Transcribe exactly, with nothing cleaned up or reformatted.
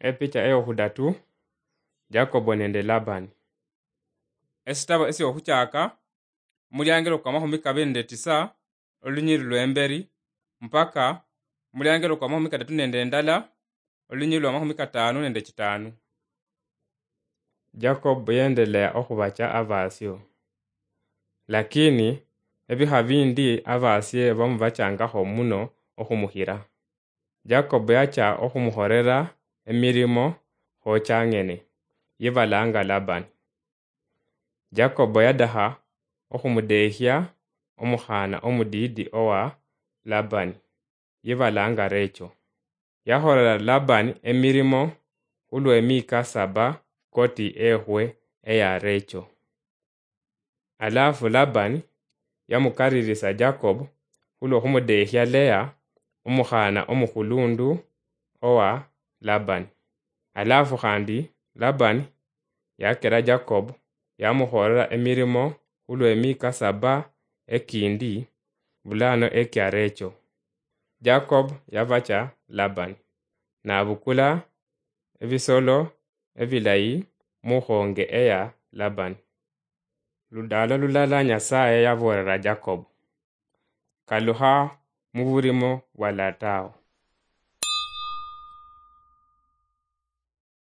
Epicha eyokhudatu, Jakobo nende Labani. Esitabo esyokhuchaka, muliangelo kwa makhumi kabili nende tisa, olunyiri lwemberi, mpaka muliangelo kwa makhumi katatu nende ndala, olunyiri lwa makhumi katano nende chitano. Jakobo yendelea okhubacha abasio. Lakini ebikha bindi abasie bamubachangakho muno okhumukhira. Jakobo yacha okhumukhorera emirimo khochang'ene, yebalanga Labani. Jakobo yadakha okhumudekhia omukhaana omudiidi owa Labani, yebalanga Recho. Yakholera Labani emirimo khulw'emiika saba koti ekhwe eya Recho. Alafu Labani yamukaririsa Jakobo khulw'okhumudekhia Lea, omukhaana omukhulundu owa Labani. Alafu khandi Labani yakera Jakobo, yamukhorera emirimo khulw'emiika saba ekindi bulano ekia Recho. Jakobo yabacha Labani, nabukula ebisolo ebilayi mukhonge eya Labani. Ludalo lulala Nyasaye yaboolera Jakobo, "Kalukha muburimo bwa latao."